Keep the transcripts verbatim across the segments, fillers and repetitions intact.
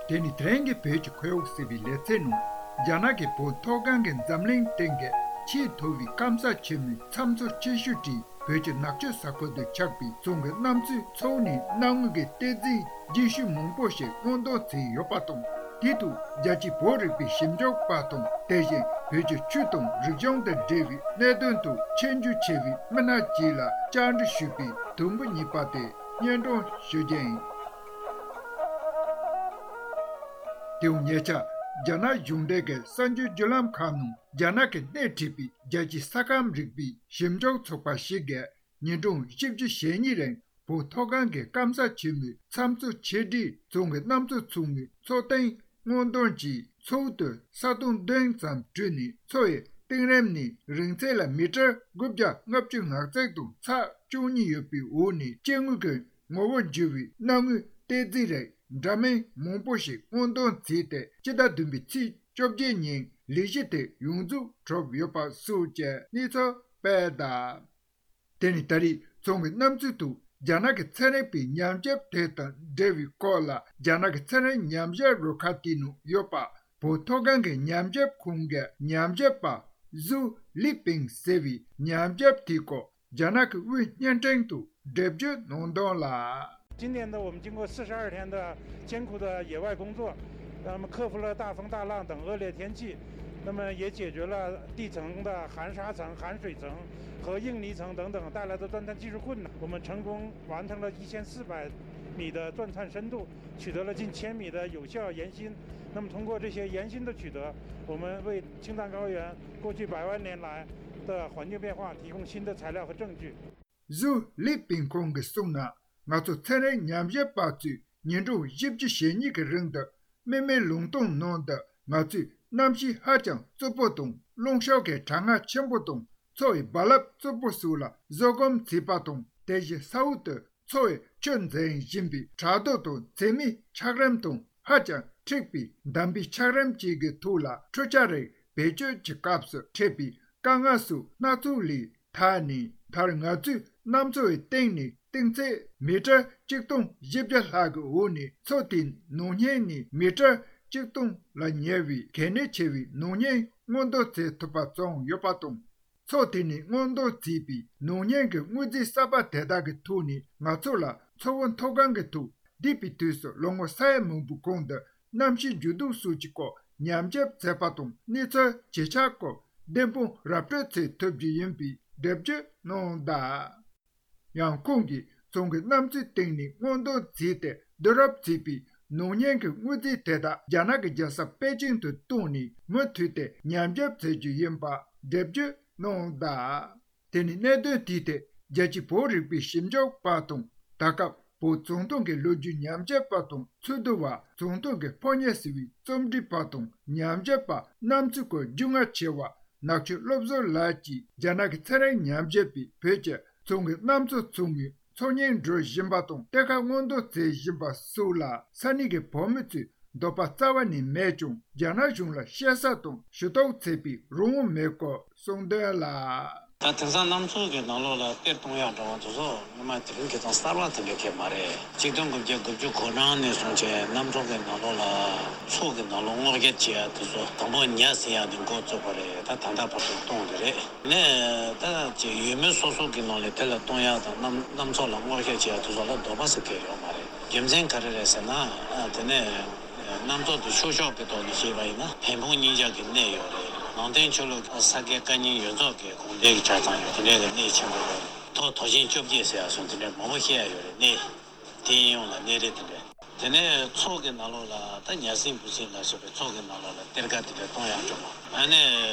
དེ་ནི་དེ་རིང་གི་བོད་ཀྱི་ཁོར་ཡུག་ཟེར་བའི་ལེ་ཚན་ནང་། རྒྱ་ནག་གི་བོད་མཐོ་སྒང་གི་འཛམ་གླིང་སྟེང་གི་ཆེས་མཐོ་བའི་སྐམ་ས་ཆེན་མོའི་ཚྭ་མཚོ་ཆེ་ཤོས་ཀྱི་བོད་ཀྱི་ནག་ཆུ་ས་ཁུལ་དུ་ཆགས་པའི་ཚོང་གི་གནམ་མཚོའི་མཚོ་ནས་གནའ་སྔོན་གྱི་གཏེར་རྫས་རྒྱུན་ཤུལ་མང་པོ་ཞིག་སྔོག་འདོན་བྱས་ཡོད་པ་དང་། དེའི་ཐོག་རྒྱལ་སྤྱིའི་བོད་རིག་པའི་ཞིབ་འཇུག་པ་དང་། དེ་བཞིན་བོད་ཀྱི་ཆོས་དང་རིག་གཞུང་དང་འབྲེལ་བའི་གནད་དོན་ཐོག་ཆེས་མཇུག་ཆེ་བའི་མི་སྣ་ཅིག་ལ་བཅར་འདྲི་ཞུས་པའི་དུམ་བུ་གཉིས་པ་དེ་སྙན་སྒྲོན་ཞུ་རྒྱུ་ཡིན། དེའང་ཉེ་ཆར་རྒྱ་ནག་གཞུང་འབྲེལ་གྱི་གསར་འགྱུར་བརྒྱུད་ལམ་ཁག་ནང་རྒྱ་ནག་གིས་སྣེ་ཁྲིད་པའི་རྒྱལ་སྤྱིའི་ས་ཁམས་རིག་པའི་ཞིབ་འཇུག་ཚོགས་པ་ཞིག་གིས་ཉིན་གྲངས་བཞི་བཅུ་ཞེ་གཉིས་རིང་བོད་མཐོ་སྒང་གི་སྐམ་ས་ཆེན་མོའི་ཚྭ་མཚོ་ཆེ་འབྲིང་ཚོང་གི་གནམ་མཚོ་ཚུགས་མའི་མཚོ་སྟེང་སྔོག་འདོན་གྱིས། མཚོ་དུ་ས་དོང་བདུན་ཙམ་བྲུས་ནས། མཚོ་ཡི་གཏིང་རིམ་ནས་རིང་ཚད་ལ་མི་ཊར་དགུ་བརྒྱ་ལྔ་བཅུ་ང་བརྩེགས་དང་ཚེག་བཅུ་གཉིས་ཡོད་པའི་འོག་ནས་སྐྱེ་དངོས་ཀྱི་ངོ་བོ་འགྱུར་བའི་གནའ་སྔོན་གཏེར་རྫས་རིགས་འདྲ་མིན་མང་པོ་ཞིག་སྔོག་འདོན་བྱས་ཏེ། སྤྱི་ཟླ་བདུན་པའི་ཚེས་བཅོ་བརྒྱད་ཉིན་ལས་གཞི་དེ་ཡོངས་རྫོགས་གྲུབ་ཡོད་པ་སོགས་ཀྱི་གནས་ཚུལ་སྤེལ་གདའ། དེ་ནི་ད་རེས་ཚོང་གི་གནམ་མཚོའི་ཐོག་རྒྱ་ནག་གི་ཚན་རིག་པའི་ཉམས་ཞིབ་དེ་དང་འབྲེལ་བའི་སྐོར་ལ། རྒྱ་ནག་གི་ཚན་རིག་ཉམས་ཞིབ་རུ་ཁག་དེའི་ནང་ཡོད་པ་བོད་མཐོ་སྒང་གི་ཉམས་ཞིབ་ཁང་གི་ཉམས་ཞིབ་པ་ཟུའུ་ལི་པིང་ཟེར་བའི་ཉམས་ཞིབ་དེའི་སྐོར་རྒྱ་ནག་གི་དབུས་བརྙན་འཕྲིན་དུ་འགྲེལ་བརྗོད་གནང་དོན་ལ། 今年呢，我们经过四十二天的艰苦的野外工作，那么克服了大风大浪等恶劣天气，那么也解决了地层的含沙层、含水层和硬泥层等等带来的钻探技术困难。我们成功完成了一千四百米的钻探深度，取得了近千米的有效岩芯。那么通过这些岩芯的取得，我们为青藏高原过去百万年来的环境变化提供新的材料和证据。 ཟུའུ་ལི་པིང་ཁོང་གིས་གསུངས་ན། ང་ཚོ་ཚན་རིག་ཉམས་ཞིབ་པ་ཚོས་ཉིན་གྲངས་བཞི་བཅུ་ཞེ་གཉིས་ཀྱི་རིང་དུ་མི་མེད་ལུང་སྟོང་ནང་དུ། ང་ཚོས་གནམ་གཤིས་ཧ་ཅང་རྩུབ་པོ་དང་། རླུང་གཤོག་གི་གྲང་ངར་ཆེན་པོ་དང་། མཚོ་ཡི་རྦ་རླབས་རྩུབ་པོ་སོགས་ལ་བཟོད་སྒོམ་བྱས་པ་དང་། དེ་བཞིན་ས་འོག་ཏུ་མཚོ་ཡི་ཆུ་འཛིན་བཞིན་པའི་བྲག་རྡོ་དང་། མཚེ་མིའི་ཆགས་རིམ་དང་ཧ་ཅང་འཁྲིགས་པའི་འདམ་པའི་ཆགས་རིམ་བཅས་ཀྱི་ཐོག་ལ་འཕྲུལ་ཆས་རིགས་བེད་སྤྱོད་ཀྱི་སྐབས་སུ་འཕྲད་པའི་དཀའ་ངལ་སོགས་སྣ་ཚོགས་ལས་ཐར་ནས། མཐར་ང་ཚོས་གནམ་མཚོ་ཡི་སྟེང་ནས་གཏིང་ཚད་མི་ཊར་ཆིག་སྟོང་བཞི་བརྒྱ་ལྷག་གི་འོག་ནས། མཚོ་དེའི་ནང་བརྙན་ནས་མི་ཊར་ཆིག་སྟོང་ལ་ཉེ་བའི་གལ་གནད་ཆེ་བའི་ནང་བརྙན་སྔོག་འདོན་བྱེད་ཐུབ་པ་བྱུང་ཡོད་པ་དང་། མཚོ་དེ་ནས་སྔོག་འདོན་བྱས་པའི་ནང་བརྙན་གྱི་དངོས་རྫས་གསར་པ་དེ་དག་གི་ཐོག་ནས་ང་ཚོ་ལ་མཚོ་བོད་མཐོ་སྒང་གི་ཐོག་འདས་པའི་དུས་སུ་ལོ་ངོ་ས་ཡ་མང་པོའི་གོང་དུ་གནམ་གཤིས་འགྱུར་ལྡོག་སོགས་ཀྱི་སྐོར་ཉམས་ཞིབ་བྱས་པ་དང་། གནས་ཚུལ་ཇེ་ཆེར་སྐོར་བདེན་དཔང་ར་སྤྲོད་བྱེད་ཐུབ་རྒྱུ་ཡིན་པའི་འགྲེལ་བརྗོད་གནང་གདའ། ཡང་ཁོང་གིས་ཚོང་གི་གནམ་མཚོའི་སྟེང་ནས་སྔོག་འདོན་བྱས་ཏེ་བསྡུ་རུབ་བྱས་པའི་ནང་བརྙན་གྱི་དངོས་རྫས་དེ་དག་རྒྱ་ནག་གི་རྒྱལ་ས་པེ་ཅིང་དུ་བཏང་ནས་མུ་མཐུད་དེ་ཉམས་ཞིབ་བྱེད་རྒྱུ་ཡིན་པ་འགྲེལ་བརྗོད་གནང་གདའ། དེ་ནི་གནད་དོན་དེའི་ཐད་རྒྱལ་སྤྱིའི་བོད་རིག་པའི་ཞིབ་འཇུག་པ་དང་། ད་སྐབས་བོད་ཙུང་ཐུང་གི་ལོ་རྒྱུས་ཉམས་ཞིབ་པ་དང་། ཚོགས་འདུ་བ། ཙུང་ཐུང་གི་ཕོ་ཉ་ཟེར་བའི་རྩོམ་སྒྲིག་པ་དང་། ཉམས་ཞིབ་པ་གནམ་མཚོའི་སྐོར་རྒྱུས་མངའ་ཆེ་བ་ནག་ཆུ་བློ་བཟང་ལགས་ཀྱིས་རྒྱ་ནག་གི་ཚན་རིག་ཉམས་ཞིབ་པས་བོད་ཀྱི་ཙུང་གི་གནམ་མཚོ་ཚུགས་མའི་མཚོ་སྙིང་འདྲུ་བཞིན་པ་དང་། གཏེར་ཁ་སྔོག་འདོན་བྱེད་བཞིན་པ་སོགས་ལ་ས་གནས་ཀྱི་བོད་མི་ཚོས་འདོད་པ་རྩ་བ་ནས་མེད་ཀྱང་། རྒྱ་ནག་གཞུང་ལ་བཤད་ས་དང་ཞུ་གཏུག་བྱེད་པའི་རང་དབང་མེད་སྐོར་གསུངས་དོན་ལ། ད་དེང་སང་གནམ་མཚོ་གི་ནང་ལོགས་ལ་གཏེར་གཏོང་ཡག་འདྲ་བ་དེ་ཚོ་སྔོན་མ་དེ་རིང་ཁ་སང་གསར་བ་དེ་འདྲ་གང་ཡང་མ་རེད། ཆིག་སྟོང་དགུ་བརྒྱ་དགུ་བཅུ་གོ་གྲངས་ནས་བཟུང་བྱས་གནམ་མཚོ་གི་ནང་ལོགས་ལ་མཚོ་གི་ནང་ལོགས་སྔོག་བཤེར་བྱེད་ཡག་དེ་ཚོ་དང་པོ་ཉ་ཟིན་ཡག་དེ་འགོ་བཙུགས་པ་རེད། ད་ད་ལྟ་བར་དུ་གཏོང་དེ་རེད། ནས་ད་ཅིག་ཡུལ་མི་སོ་སོ་གི་ནང་ལ་དེ་ལ་གཏོང་ཡག་དང་གནམ་གནམ་མཚོ་ལ་སྔོག་བཤེར་བྱེད་ཡག་དེ་ཚོ་ལ་འདོད་པ་ཟེར་མཁན་ཡོད་མ་རེད། རྒྱུ་མཚན་ག་རེ་རེད་ཟེར་ན། ཨ། དེ་ནས་གནམ་མཚོ་དེ་ཆུ་ཤོག་གི་ཐོག་ནས་བཤད་པ་ཡིན་ན་བལ་འབུམ་སྙིང་ལྕགས་ཀྱི་གནས་ཡོད་རེད། ནང་བསྟན་ཆོས་ལུགས་ས་དགེ་བཀའ་རྙིང་ཡོངས་རྫོགས་ཀྱི་དགོངས་དོན་གྱི་ཆ་ཚང་ཡོད། དེ་འདྲའི་གནས་ཆེན་པོ་རེད། མཐོ་དོ་ཤིང་བཅོ་བརྒྱད་ཟེར་ཡག་སོགས་དེ་འདྲའི་མང་པོ་བཤད་ཡག་ཡོད་རེད། གནས་དེའི་ཡོངས་ལ་གནས་རི་དེ་འདྲ། དེ་ནས་མཚོ་གི་ནང་ལོགས་ལ་ད་ཉ་སྲིན་འབུ་སྲིན་ལ་སོགས་པའི་མཚོ་གི་ནང་ལོགས་ལ་གཏེར་ཁ་དེ་འདྲ་གཏོང་ཡག་འགྲོ་མ། ཨ་ནི་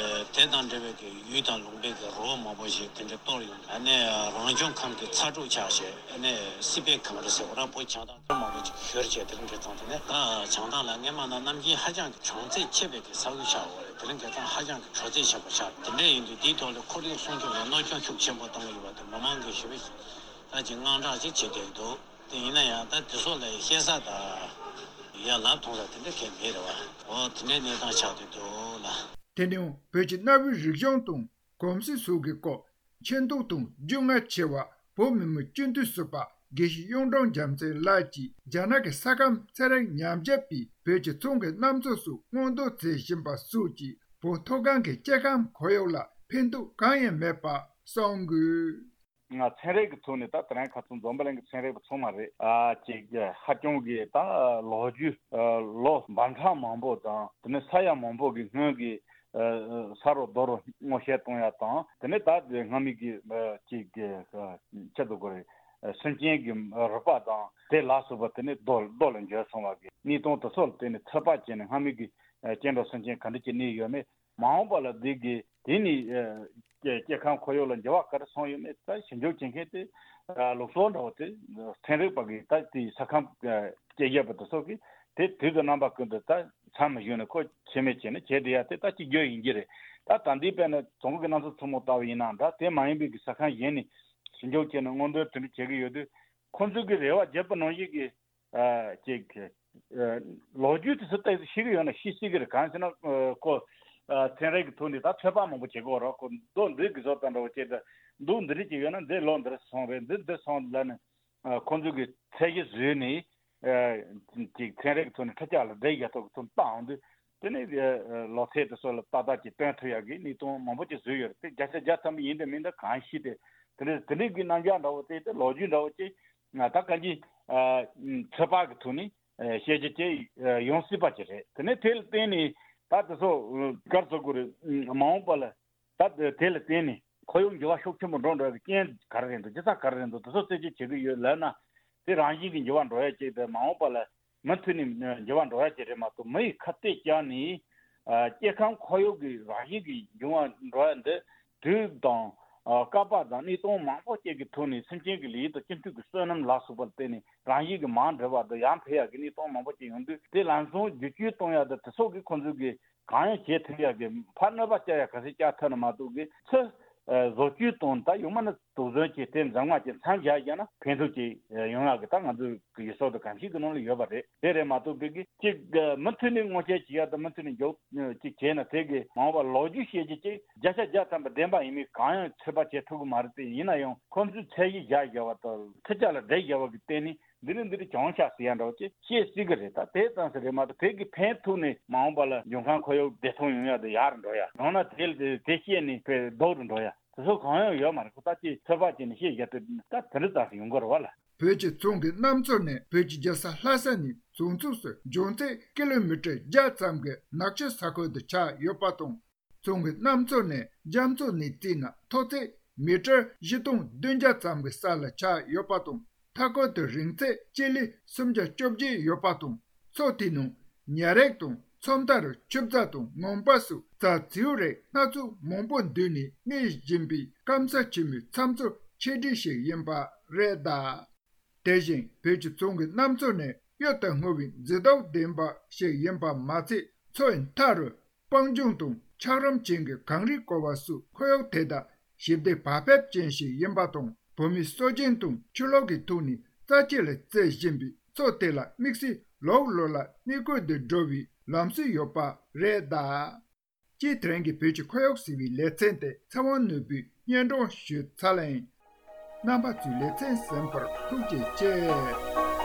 དེ་དང་འབྲེལ་བའི་གི་ཡུལ་དང་ལུང་པའི་གི་རི་བོ་མང་པོ་ཞིག་དེ་འདྲ་གཏོར་ཡོང་། ཨ་ནི་རང་བྱུང་ཁམས་ཀྱི་ཚ་དྲོད་ཆགས་བྱས། ཨ་ནི་སྲིད་པའི་གངས་རི་ཟེར་བ་ར་བོད་བྱང་ཐང་མང་པོ་ཅིག་བཞུར་བྱས། དེ་རིང་ཁ་སང་དེ་ནས་ད་བྱང་ཐང་ལ་སྔས་མ་ན་གནམ་དཀྱིལ་ཧ་ཅང་གི་གྲང་ཚད་ཆེ་བའི་གི་ས་ཁུལ་ཆགས་ཡོད་རེད། དེ་རིང་ཁ་སང་ཧ་ཅང་གི་དྲོ་ཚད་ཆེན་པོ་ཆགས། དེ་འདྲ་ཡིན་དུས་དེའི་ཐོག་ལ་ཁོར་ཡུག་སྲུང་སྐྱོབ་ལ་གནོད་སྐྱོན་ཤུགས་ཆེན་པོ་བཏང་གི་ཡོད་པ་དེ་མི་མང་གིས་ཞེ་པོ་ད་ཅིག་དངངས་སྐྲག་ཅིག་བྱེད་བསྡད་འདུག་དེ་ཡིན་ན་ཡང་ད་དེ་ཚོ་ལ་བཤད་ས་དང་ཡ་ལབ་ཐུབ་ས་དེ་འདྲ་གང་ཡང་མེད་རེད་བ། འོ་དེ་འདྲའི་གནས་སྟངས་ཆགས་བསྡད་འདུག་ལ། དེ་ནས་བོད་ཀྱི་གནའ་བོའི་རིག་གཞུང་དང་གོམས་སྲོལ་སོགས་ཀྱི་སྐོར་མཁྱེན་རྟོགས་དང་རྒྱུས་མངའ་ཆེ་བ་བོད་མི་མང་སྤྱི་འཐུས་ཟུར་པ་ དགེ་བཤེས་གཡུང་དྲུང་རྒྱལ་མཚན་ལགས་ཀྱིས་རྒྱ་ནག་གི་ས་ཁམས་ཚན་རིག་ཉམས་ཞིབ་པས་བོད་ཀྱི་ཚོང་གི་གནམ་མཚོ་སོགས་སྔོག་འདོན་མཛད་བཞིན་པ་སོགས་ཀྱིས་བོད་མཐོ་སྒང་གི་སྐྱེ་ཁམས་ཁོར་ཡུག་ལ་ཕན་ཐོགས་གང་ཡང་མེད་པ་གསུངས་དགོས། ང་ཚན་རིག་གི་ཐོག་ནས་ད་དེ་རིང་ཁ་སང་འཛམ་བུ་གླིང་གི་ཚན་རིག་པ་ཚང་མ་རེད། ཨ་ཅིག་ཧ་ཅང་གི་ད་ལོ་རྒྱུས་ལོ་འབུམ་ཕྲག་མང་པོ་དང་དེ་ནས་ས་ཡ་མང་པོ་གི་སྔོན་གྱི་ས་རུ་རྡོ་རུ་སྔོག་བཤེར་གཏོང་ཡ་དང་དེ་ནས་ད་སྔ་མའི་གི་ཅིག་ཆེད་དུ་དགོས་རེད། སེམས་ཅན་གྱི་རུས་པ་དང་དེ་ལ་སོགས་པ་དེ་ནས་རྡོ་རྡོ་ལ་འགྱུར་སོང་བ་གི་གནས་སྟངས་དེ་ཚོ་ལ་བརྟེན་ནས་ཚོད་དཔག་བྱས་ནས་སྔ་མའི་གི་སྐྱེ་འགྲོ་སེམས་ཅན་ག་འདྲ་ཅིག་གནས་ཡོད་མེད། མ་འོངས་པ་ལ་འདི་གི་དེ་ནི་སྐྱེ་ཁམས་ཁོར་ཡུག་ལ་འགྱུར་བ་ག་རེ་སོང་ཡོད་མེད་ད་ཞིབ་འཇུག་བྱེད་མཁན་དེ་ལུགས་སྲོལ་འདྲ་བོ་དེ་ཚན་རིག་པ་གི་ད་དེ་ས་ཁམས་དཔྱད་ཡོད་པ་དེ་ཚོ་གི་དེ་དུས་དང་རྣམ་པ་ཀུན་ཏུ་ད་མཚམས་མི་བཞག་ནས་ཁོ་ཆད་མེད་བྱས་ནས་བྱས་བསྡད་ཡ་དེ་ད་གཅིག་གྱུར་ཡིན་གྱི་རེད། ད་ད་འདི་དཔེར་ན་བཙོན་གྱི་གནམ་མཚོ་ཆེན་མོ་ལྟ་བུ་ཡིན་ནའང་འདྲ་དེ་མ་ཡིན་པའི་གི་ས་ཁམས་གཞན་ནས་ཞིབ་འཇུག་བྱས་ནས་སྔོག་འདོན་དེ་འདྲ་བྱེད་ཀྱི་ཡོད་དུས་ཁོང་ཚོས་གི་རེ་བ་བརྒྱབ་པ་ནང་བཞིན་གི་ཅིག་ལོ་རྒྱུས་དེ་ཚོ་ཏོག་ཙམ་ཤེས་ཀྱི་ཡོད་ན་ཤེས་སྲིད་ཀྱི་རེད། གང་ཟེར་ན་ཁོ་ཚན་རིག་གི་ཐོག་ནས་ད་ཚོད་དཔག་མང་པོ་བྱེད་དགོས་རེད། ཁོ་མདོ་འདི་གི་བཟོ་ལྟ་འདྲ་བོ་བྱས་ཏེ་མདོ་འདི་རིགས་ཅིག་ཡོད་ན་འདི་ལོ་འདིར་སོང་རེད། འདི་འདིར་སོང་ལབ་ནས་ཁོ་ཚོ་གི་ཚད་གཞི་བཟོས་ནས་ཅིག་ཚན་རིག་གི་ཐོག་ནས་ཁྲི་ལྕགས་ལ་བསྡད་ཡག་ཐོག་གི་ཚོད་བཏང་འོང་དུས་དེ་ནས་ལོ་ཚད་དེ་ཚོ་ལ་ཏག་ཏག་ཅིག་སྟོན་ཐུབ་ཡག་གི་གནས་སྟངས་མང་པོ་ཅིག་བཟོས་ཡོད་རེད། དེ་བརྒྱ་ཆ་བརྒྱ་ཐམ་པ་ཡིན་དང་མིན་དང་གང་ཤེས་ཏེ་དེ་འདྲ་དེ་འདྲའི་གི་རྣམ་གཞག་འདྲ་བོ་དེ་དེ་ལོ་རྒྱུས་འདྲ་བོ་ཅིག་ང་ད་གང་ཅི་ཚོད་དཔག་གི་ཐོག་ནས་ཤེས་བྱ་ཅིག་ཡོང་སྲིད་པ་ཅིག་རེད། དེ་ནས་དེ་ལ་བརྟེན་ནས་ད་དེ་ཚོ་ག་རེ་ཟེར་དགོས་རེད། མ་འོངས་པ་ལ་ད་དེ་ལ་བརྟེན་ནས་ཁོར་ཡུག་འགྱུར་བ་ཤུགས་ཆེན་པོ་འགྲོ་འགྲོ་བའི་རྐྱེན་ག་རེ་རེད་འདུག་རྒྱུ་མཚན་ག་རེ་རེད་འདུག་དེ་ཚོ་རྩད་གཅོད་བྱེད་ཀྱི་ཡོད་ལབ་ན་དེ་རང་བཞིན་གྱིས་འགྱུར་བ་འགྲོ་ཡ་ཅིག་དང་མ་འོངས་པ་ལ་མུ་མཐུད་ནས་འགྱུར་བ་འགྲོ་ཡ་ཅིག་རེད་མ་གཏོགས་མི་ཡིས་ཁ་གཏད་བཅག་ནས་སྐྱེ་ཁམས་ཁོར་ཡུག་གི་རང་བཞིན་གྱིས་འགྱུར་བ་འགྲོ་ཡ་འདི་དུས་དང་སྐབས་དང་གནས་སྟངས་མང་པོ་ཅིག་གི་ཐོག་ནས་སེམས་ཅན་གྱི་ལུས་དང་སྤྱི་འཐུས་ཀྱི་བསོད་ནམས་ལ་སོགས་པ་ལ་བརྟེན་ནས་རང་བཞིན་གྱིས་མར་འགྲིལ་བ་དང་ཡར་འཕེལ་ཡག་གི་གནས་སྟངས་མང་པོ་ཅིག་ཡོང་དུས་དེ་ལམ་སང་བསྒྱུར་བཅོས་གཏོང་ཡག་དང་དེ་སོགས་ཀྱི་ཁོང་ཚོས་ཀྱི་གང་ཡང་བྱེད་ཐུབ་ཡག་གི་ཕར་གནོད་པ་བསྐྱལ་ཡག་ག་ཚོད་བསྐྱལ་ཐུབ་ན་མ་གཏོགས་ཀྱི་ཚུར་བཟོ་བཅོས་དང་ད་ཡང་མིན་ན་དོགས་ཟོན་གྱིས་དེ་འཛིན་མ་གྱིས་མཚམས་བཞག་བཞག་ན་ཕན་ཐོགས་ཀྱི་ཡོང་ཡག་གི་ད་ང་ཚོའི་གི་ཡུལ་སྲོལ་དང་གོམས་གཤིས་ཀྱི་ནང་ལ་ཡོད་པ་རེད། དེ་རེད་མ་གཏོགས་པའི་གི་གཅིག་མུ་མཐུད་ནས་སྔོག་བཤེར་བྱེད་ཡག་དང་མུ་མཐུད་ནས་མགྱོགས་ཅིག་བྱས་ན་དེ་གི་མ་འོངས་པ་ལོ་རྒྱུས་ཤེས་རྒྱུ་ཅིག་བརྒྱ་ཆ་བརྒྱ་ཐམ་པ་བདེན་པ་ཡིན་མིན་གང་ཡང་ཚོད་དཔག་བྱེད་ཐུབ་ཀྱི་མ་རེད། དེ་ཡིན་ན་ཡང་ཁོང་ཚོས་ཚད་གཞི་བཞག་བཞག་པ་དང་ཁྲི་ལྕགས་ལ་བསྡད་བཞག་པ་གི་སྟེང་ནས། འདི་ནི་འདི་རུ་གྱོང་ཆག་ཟེར་ཡ་འདྲ་བོ་ཅིག་བཤད་སྲིད་ཀྱི་རེད། ད་དེ་ཙམ་ཞིག་རེད་མ་གཏོགས་དེ་གི་ཕན་ཐོགས་ནས་མ་འོངས་པ་ལ་འབྱུང་ཁམས་ཁོར་ཡུག་བདེ་ཐང་ཡོང་ཡ་དེ་ཡག་རུ་འགྲོ་ཡ་ཡང་ན་དེ་དེ་བཤད་ནས་དཔེ་ལྡོག་རུ་འགྲོ་ཡ་དེ་ཚོ་གང་ཡང་ཡོད་མ་རེད། ཁོ་ད་ཅིག་ཚོད་དཔག་བྱས་ནས་བཤད་བཞག་དུས་ད་དེ་འདྲ་ཙམ་ཞིག་ཡོང་གི་རེད་བ་ལ། བོད་ཀྱི་ཚོང་གི་གནམ་མཚོ་ནས་བོད་ཀྱི་རྒྱལ་ས་ལྷ་ས་ནས་བྱང་ཕྱོགས་སུ་འབྱུང་ཚད་ཀི་ལོ་མི་ཊར་བརྒྱ་ཙམ་གྱི་ནག་ཆུ་ས་ཁུལ་དུ་ཆགས་ཡོད་པ་དང་། ཚོང་གི་གནམ་མཚོ་ནས་རྒྱ་མཚོ་ནས་བརྩིས་ན་མཐོ་ཚད་མི་ཊར་བཞི་སྟོང་བདུན་བརྒྱ་ཙམ་གྱི་ས་ལ་ཆགས་ཡོད་པ་དང་། མཐའ་འཁོར་དུ་རིང་ཚད་སྤྱི་ལེ་སུམ་བརྒྱ་བཅོ་བརྒྱད་ཡོད་པ་དང་། མཚོ་དེའི་ནང་ཉ་རིགས་དང་མཚོ་མཐའ་རུ་ཆུ་བྱ་དང་ངང་པ་སོགས་རྩྭ་མཛེའུ་རིགས་སྣ་ཚོགས་མང་པོ་འདུས་ནས་གནས་བཞིན་པའི་སྐམ་ས་ཆེན་མོའི་ཚྭ་མཚོ་ཆེ་གྲས་ཤིག་ཡིན་པ་རེད་གདའ། དེ་བཞིན་བོད་ཀྱི་ཚོང་གི་གནམ་མཚོ་ནི་གཡུ་དང་སྔོ་བའི་མཛེས་སྡུག་ལྡན་པ་ཞིག་ཡིན་པ་མ་ཚད། མཚོའི་མཐའ་རུ་སྤང་ལྗོངས་དང་འཁྱགས་རོམ་ཅན་གྱི་གངས་རིས་བསྐོར་བ་སོགས་ཁོར་ཡུག་དེ་དག་ཞི་བདེ་བག་ཕེབས་ཅན་ཞིག་ཡིན་པ་དང་། བོད་མིའི་སྲོལ་རྒྱུན་དང་ཆོས་ལུགས་ཀྱི་ཐོག་ནས་རྩ་ཆེ་ལ་བརྩི་བཞིན་པའི་མཚོ་དེ་ལ་དམིགས་བསལ་ལོགས་ལོགས་ལ་གནས་སྐོར་དུ་འགྲོ་བའི་ལམ་སྲོལ་ཡོད་པ་རེད་གདའ། སྤྱིར་དེ་རིང་གི་བོད་ཀྱི་ཁོར་ཡུག་ཟེར་བའི་ལེ་ཚན་དེ་ཚེ་དབང་ནོར་བུས་སྙན་སྒྲོན་ཞུས་ཚར་ལ་ཡིན། རྣམ་པ་ཚོས་ལེ་ཚན་གསན་པར་ཐུགས་རྗེ་ཆེ།